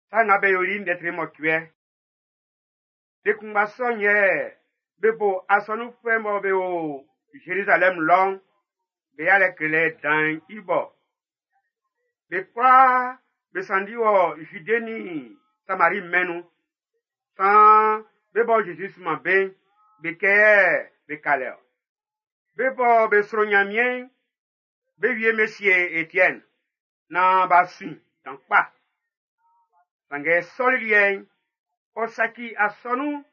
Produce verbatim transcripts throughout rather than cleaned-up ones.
Sa nga be yoli ndɛ tre mɔcuɛ. Le kunngba sɔ'n yɛ be bo asɔnunfuɛ mɔ be o Zerizalɛm lɔ'n, be yalɛ klelɛ dan'n i bo. Be kwlaa be sanndi wɔ Zude nin Samari mɛn'n nun. Saan be bɔ Zezi sunman be'n, be kɛ be ka lɛ ɔ. Be bɔ be sro Ɲanmiɛn'n, be wie be sie Etiɛne naan b'a su i dan kpa. Sanngɛ Sɔli liɛ'n, ɔ saci asɔnun'n,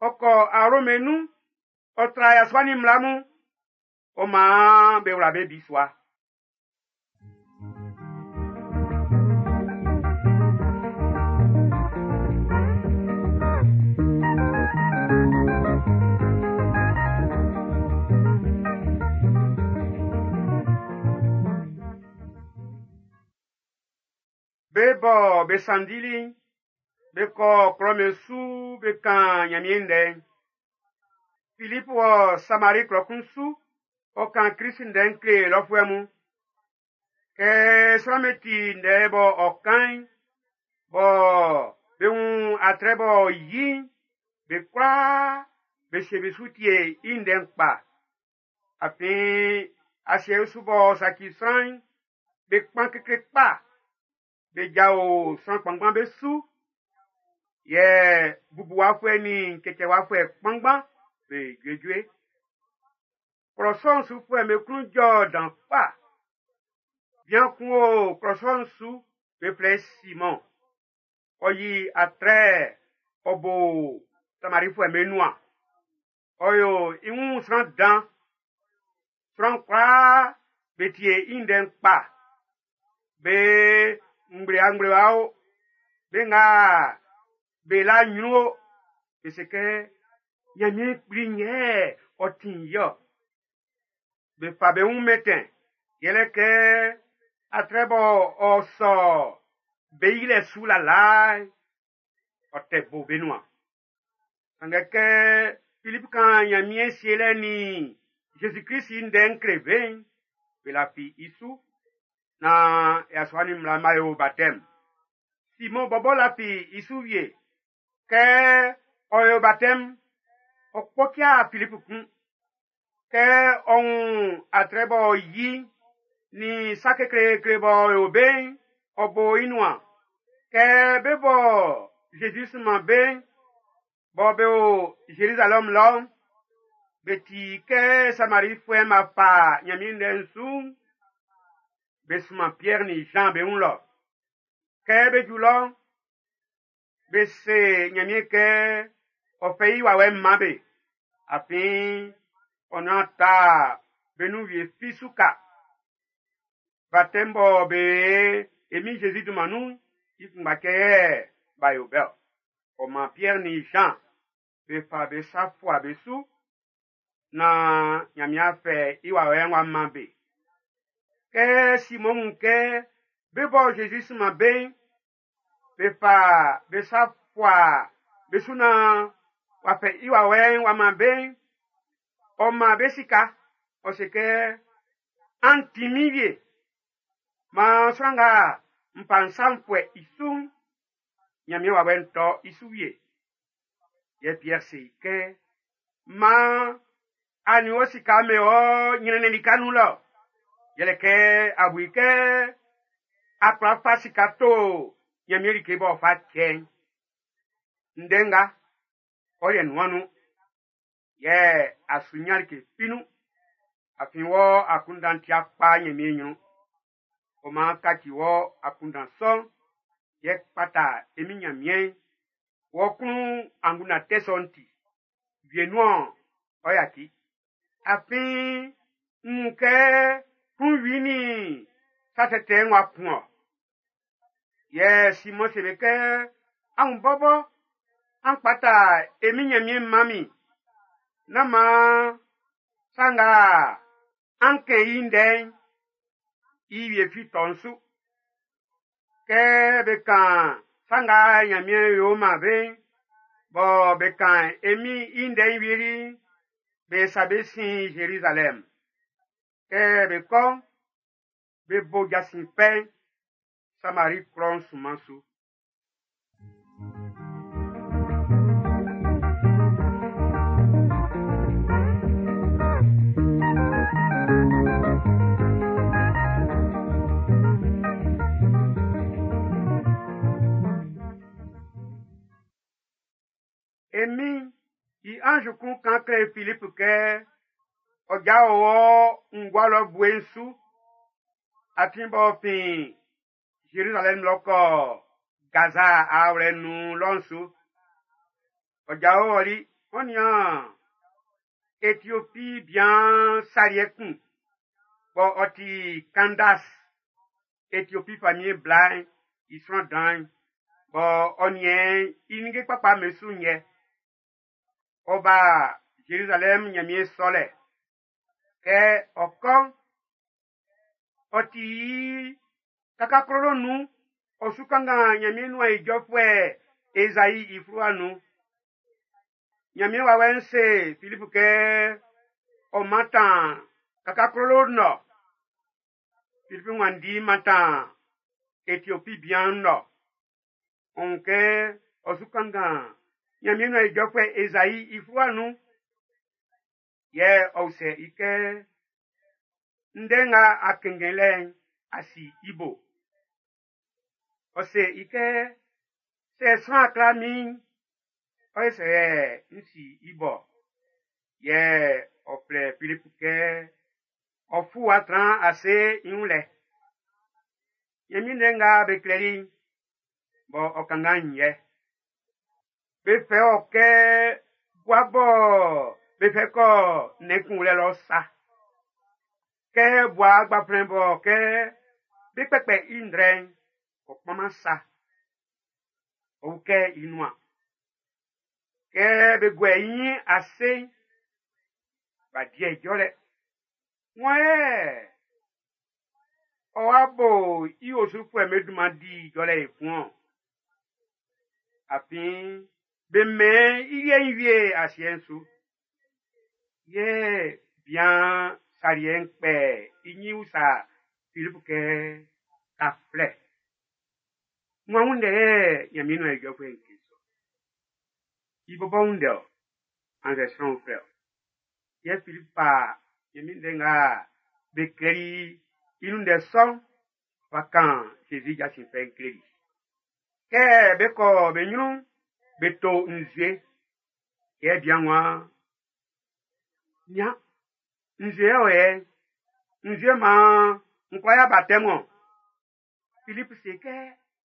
ɔ kɔ awlo'm nun, ɔ tra yasua nin mmla mun, ɔ maan be wla be bisua. Be bɔ be sanndili'n, be kɔ klɔ'm su be kan Ɲanmiɛn ndɛ'n. Filipu wɔ Samari klɔ kun su, ɔ kan Krist ndɛ'n kle lɔfuɛ mun. Kɛ sran'm be ti ndɛ bɔ ɔ kan'n, bɔ be wun atrɛ bɔ ɔ yi'n, be kwlaa be sie be su tie i ndɛ'n kpa. Afin asiɛ usu b'ɔ saci sran'n, be kpan kekle kpa. Be jao sran kpanngban be su. Yɛ bubuwafuɛ nin cɛcɛwafuɛ kpanngban be juejue. Klɔ sɔ'n sufuɛ'm be klun jɔ dan kpa. Bian kun o klɔ sɔ'n su, be flɛ i Simɔn. Ɔ yi atrɛ ɔ bo Samarifuɛ'm be nuan. Ɔ yo i wun sran dan. Sran kwlaa be tie i ndɛ'n kpa. Be ngblewangblewa o, be nga be la ɲrun o, be se kɛ Ɲanmiɛn kpli yɛ ɔ ti'n yɔ. Be fa be wun mɛntɛn, yɛlɛ kɛ atrɛ bɔ ɔ sɔ be yilɛ su lalaa'n, ɔ tɛ bo be nuan. Sanngɛ kɛ Filipu kan Ɲanmiɛn sielɛ nin Zezi Klist i ndɛ'n kle be'n, be lafi i su. Naan yasua nin mmla b'a yo batɛm. Simɔn bɔbɔ lafi i su wie. Kɛ ɔ yo batɛm, ɔ kpɔcia Filipu kun. Kɛ ɔ wun atrɛ b'ɔ yi nin sa kekleekle b'ɔ yo be'n, ɔ bo i nuan. Kɛ be bɔ Zezi sunman be'n, bɔ be o Zerizalɛm lɔ'n, be ti kɛ Samarifuɛ'm b'a fa Ɲanmiɛn ndɛ'n su'n, be sunman Pierre nin Jean be wun lɔ. Kɛ be ju lɔ'n, be se Ɲanmiɛn kɛ ɔ fɛ i wawɛ'n man be. Afin ɔ nuan ta be nun wie fi su ka. Baptême bɔ be e min Jésus dunman nun'n, i kunngba cɛ yɛ b'a yo bɛ ɔ. Ɔ maan Pierre nin Jean be fa be sa fua be su naan Ɲanmiɛn fɛ i wawɛ'n w'a man be. Kɛ Simɔn wun kɛ be bɔ Jésus sunman be'n, be fa be sa fua be su naan w'a fɛ i wawɛ'n w'a man be'n, ɔ man be sika. Ɔ se kɛ, an ti min wie. Maan sran nga n fa n sa n fuɛ i su'n, Ɲanmiɛn wawɛ'n tɔ i su wie. Yɛ Pierre se i kɛ, maan a nin wɔ sika mɛn ɔ ɲrɛnnɛn lika nun lɔ. Yɛlɛ kɛ a bu i kɛ a kwla fa sika to Ɲanmiɛn like b'ɔ fa cɛ'n. Ndɛ nga, ɔ yɛ nuan nun. Yɛ a su ɲan like fi nun. Afin wɔ akunndan tia kpa Ɲanmiɛn ɲrun. Ɔ maan kaci wɔ akunndan sɔ'n, yɛ kpata e min Ɲanmiɛn'n. Wɔ klun angunndan tɛ sɔ'n ti. Wienun-ɔn, ɔ yaci. Afin n wun kɛ klunwi nin sa tɛtɛ'n w'a kun ɔ. Yɛ Simɔn se be kɛ, amun bɔbɔ, an kpata e min Ɲanmiɛn man min. Nán maan sa nga an kɛn i ndɛ'n, i wie fi tɔ n su. Kɛ be kan sa nga Ɲanmiɛn yo man be'n, bɔ be kan e min i ndɛ'n wieli'n, be sa be sin Zerizalɛm. Kɛ be kɔ'n, be bo jasin fɛ'n Samari klɔ'n sunman su. E Min'n i anz kun kan kle Filip kɛ ɔ jao wɔ ngua lɔ bue'n su, atin b'ɔ fin Zerizalɛm lɔ kɔ Gaza aawlɛ nun lɔ'n su. Ɔ jao ɔli, ɔ nian Etiopi bian saliɛ kun bɔ ɔ ti Kandas, Etiopi famiɛn bla'n i sran dan'n, bɔ ɔ niɛn i ninnge kpakpa'm be su'n yɛ. Ɔ ba Zerizalɛm Nyanmiɛn sɔlɛ. Kɛ ɔ kɔ'n, ɔ ti i kakaklolo nun, ɔ su kanngan Nyanmiɛn nuan ijɔfuɛ Ezai i fluwa nun. Nyanmiɛn wawɛ'n se Filip kɛ ɔ mantan kakaklolo'n nɔ. Filip wanndi mantan Etiopi bian'n nɔ. Ɔ wun kɛ ɔ su kanngan Nyanmiɛn nuan ijɔfuɛ Ezai i fluwa nun. Yɛ ɔ usɛ i kɛ, ndɛ nga a kɛnngɛn lɛ'n, a si i bo. Ɔ se i kɛ, sɛ sran kla min'n, ɔ yɛ sɛ n si i bo. Yɛ ɔ flɛ Filip kɛ ɔ fu wa tran ase i wun lɛ. Nyanmiɛn ndɛ nga be klɛli'n, bɔ ɔ kanngan'n yɛ. Be fɛ ɔ kɛ bua bɔ be fɛ kɔ nnɛn kunwlɛ lɔ sa. Kɛ bua gbaflɛn bɔ kɛ be kpɛkpɛ i ndrɛ'n, ɔ kpanman sa. Ɔ ukɛ i nuan. Kɛ be guɛ i nyin ase'n, b'a di ijɔlɛ. Wan yɛ ɔ wa bo i osufuɛ'm be dunman di ijɔlɛ ekun-ɔn. Afin be mɛn i liɛ'n wie asiɛ'n su. Yɛ bian saliɛ'n kpɛ i nyin usa Filip kɛ, kaflɛ. Wan wun ndɛ yɛ Nyanmiɛn nuan ijɔfuɛ'n kan sɔ. I bɔbɔ wun ndɛ ɔ, annzɛ sran uflɛ ɔ. Yɛ Filip fa Nyanmiɛn ndɛ nga be klɛli i nun ndɛ sɔ'n fa kan Zezi jasin fɛ'n kleli. Kɛ be kɔ be nyrun'n, be to nzue. Yɛ bian waan, nian, nzue o yɛ, nzue maan n kwla ya baptême o. Filip se kɛ,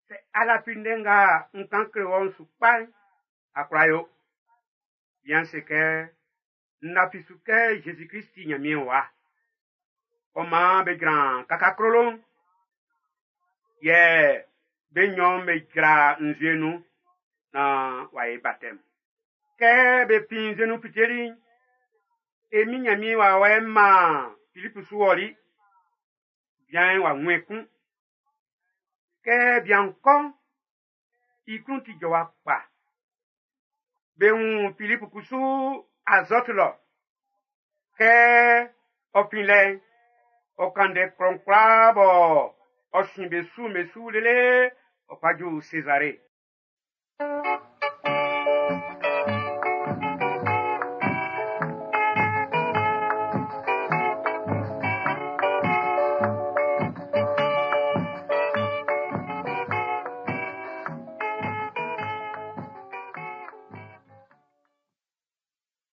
sɛ a lafi ndɛ nga n kan kle wɔ'n su kpa'n, a kwla yo. Bian se kɛ, n lafi su kɛ Jésus Christ ti Nyanmiɛn wa. Ɔ maan be jran kakaklolo'n, yɛ be nnyɔn'n be jra nzue nun naan w'a ye baptême. Kɛ be fin nzue nun fiteli'n, e Min Nyanmiɛn wawɛ'n maan Filip su ɔli. Bian'n w'a wun ekun. Kɛ bian'n kɔ'n, i klun ti jɔwa kpa. Be wun Filip kusu Azɔt lɔ. Kɛ ɔ fin lɛ'n, ɔ kan ndɛ klɔ'n kwlaa bɔ ɔ sin be su be su lele ɔ fa ju Sezare.